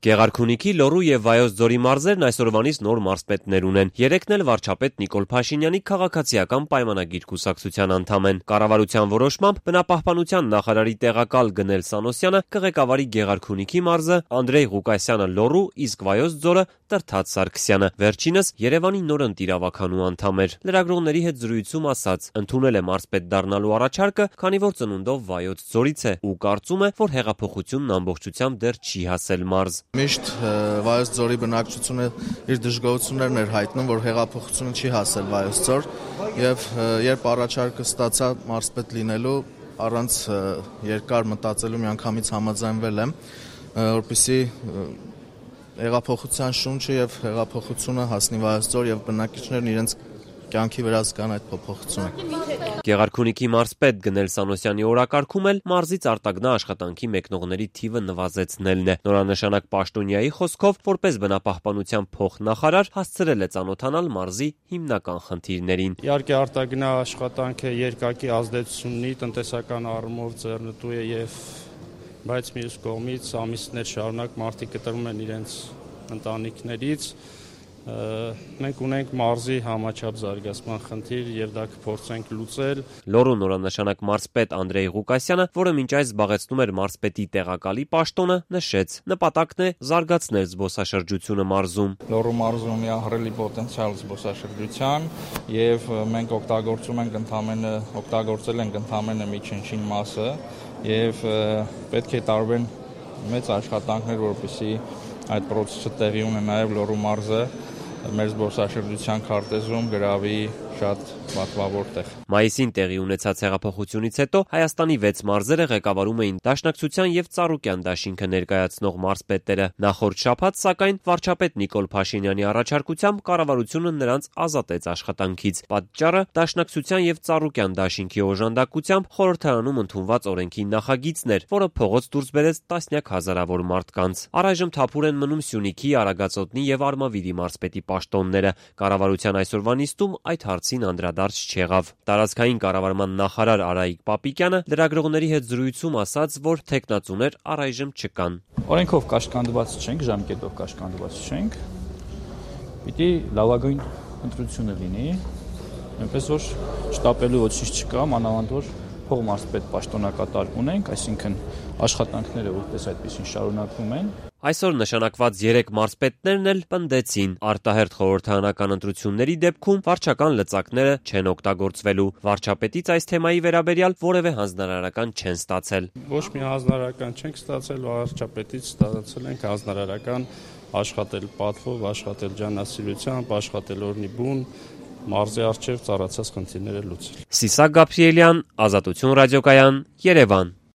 Գեղարքունիքի, Լոռու եւ Վայոց ձորի մարզերն այսօրվանից նոր մարզպետներ ունեն։ Երեքն էլ վարչապետ Նիկոլ Փաշինյանի քաղաքացիական պայմանագիր կուսակցության անդամ են։ Կառավարության որոշմամբ բնապահպանության նախարարի տեղակալ Գնել Սանոսյանը կղեկավարի Գեղարքունիքի մարզը, Անդրեյ Ղուկասյանը Լոռու, իսկ Վայոց ձորը Տրթած Սարգսյանը։ Վերջինս Երևանի նոր ընտիրավականու անդամ էր։ Լրագրողների հետ զրույցում ասաց, ընդունել է մարզպետ դառնալու առաջարկը, քանի որ ծնունդով Վայոց ձորից է ու կարծում է, որ հեղափոխությունն ամբողջությամբ դեռ չի հասել մարզ։ Միշտ Վայոց ձորի բնակչությունը իր դժգոհություններն էր հայտնում, որ հեղափոխությունը չի հասել Վայոց ձոր, եւ երբ առաջարկը ստացա մարզպետ լինելու, առանց երկար մտածելու միանգամից համաձայնվել եմ, որպեսզի հեղափոխության շունչը եւ հեղափոխությունը հասնի Վայոց ձոր եւ բնակիչներն իրենց կյանքի վրա զգան այդ փոփոխությունը։ Գեղարքունիքի մարզպետ Գնել Սանոսյանի օրակարգում էլ մարզից արտագնա աշխատանքի մեկնողների թիվը նվազեցնելն է։ Նորանշանակ պաշտոնյայի խոսքով, որպես բնապահպանության փոխնախարար, հասցրել է ծանոթանալ մարզի հիմնական խնդիրներին։ Իհարկե արտագնա աշխատանքը երկակի ազդեցություն ունի, տնտեսական առումով ձեռնտու է եւ բայց մյուս կողմից ամիսներ շարունակ մարդիկ կտրվում են իրենց ընտանիքներից։ Մենք ունենք մարզի համաչափ զարգացման խնդիր եւ դա կփորձենք լուծել։ Լոռու նորանշանակ մարզպետ Անդրեյ Ղուկասյանը, որը մինչ այս զբաղեցնում էր մարզպետի տեղակալի պաշտոնը, նշեց. նպատակն է զարգացնել զբոսաշրջությունը մարզում։ Լոռու մարզում ունի ահռելի պոտենցիալ զբոսաշրջության եւ մենք օգտագործել ենք ընդամենը միջին մասը եւ պետք է տարվեն մեծ աշխատանքներ, որպեսզի այդ process-ը տեղի ունենա նաեւ Լոռու մարզը մեր զբոսաշրջության քարտեզում գրավի շատ պատվավոր տեղ։ Մայիսին տեղի ունեցած հեղափոխությունից հետո Հայաստանի 6 մարզերը ղեկավարում էին Դաշնակցության եւ Ծառուկյան դաշինքը ներկայացնող մարզպետերը։ Նախորդ շաբաթ, սակայն, վարչապետ Նիկոլ Փաշինյանի առաջարկությամբ կառավարությունը նրանց ազատեց աշխատանքից։ Պատճառը Դաշնակցության եւ Ծառուկյան դաշինքի օժանդակությամբ խորհրդարանում ընդունված օրենքի նախագիծն էր, որը փողոց դուրս բերեց տասնյակ հազարավոր մարդկանց։ Առայժմ թափուր են մնում Սյունիքի, Արագածոտնի եւ Արմավիրի մարզպետի պաշտոնները։ Կառավարության այսօրվա նիստում այդ հարցին անդրադարձ չեղավ։ Տարածքային կառավարման նախարար Արայիկ Պապիկյանը լրագրողների հետ զրույցում ասաց, որ թեկնածուներ առայժմ չկան։ Օրենքով կաշկանդված չենք, ժամկետով կաշկանդված չենք։ Պիտի լավագույն ընտրությունը լինի, այնպես որ շտապելու ոչինչ չկա, մանավանդ որ փողմարզպետ պաշտոնակատար ունենք, այսինքն աշխատանքները որպես այդպեսին շարունակվում են։ Այսօր նշանակված 3 մարզպետներն էլ պնդեցին, արտահերթ խորհրդարանական ընտրությունների դեպքում վարչական լծակները չեն օգտագործվելու։ Վարչապետից այս թեմայի վերաբերյալ որևէ հանձնարարական չեն ստացել։ Ոչ մի հանձնարարական չենք ստացել, վարչապետից ստացել ենք հանձնարարական աշխատել պատվով, աշխատել ջանասիրությամբ, աշխատել օրնի բուն, մարզի առջև ծառացած խնդիրները լուծել։ Սիսակ Գաբրիելյան, Ազատություն ռադիոկայան, Երևան։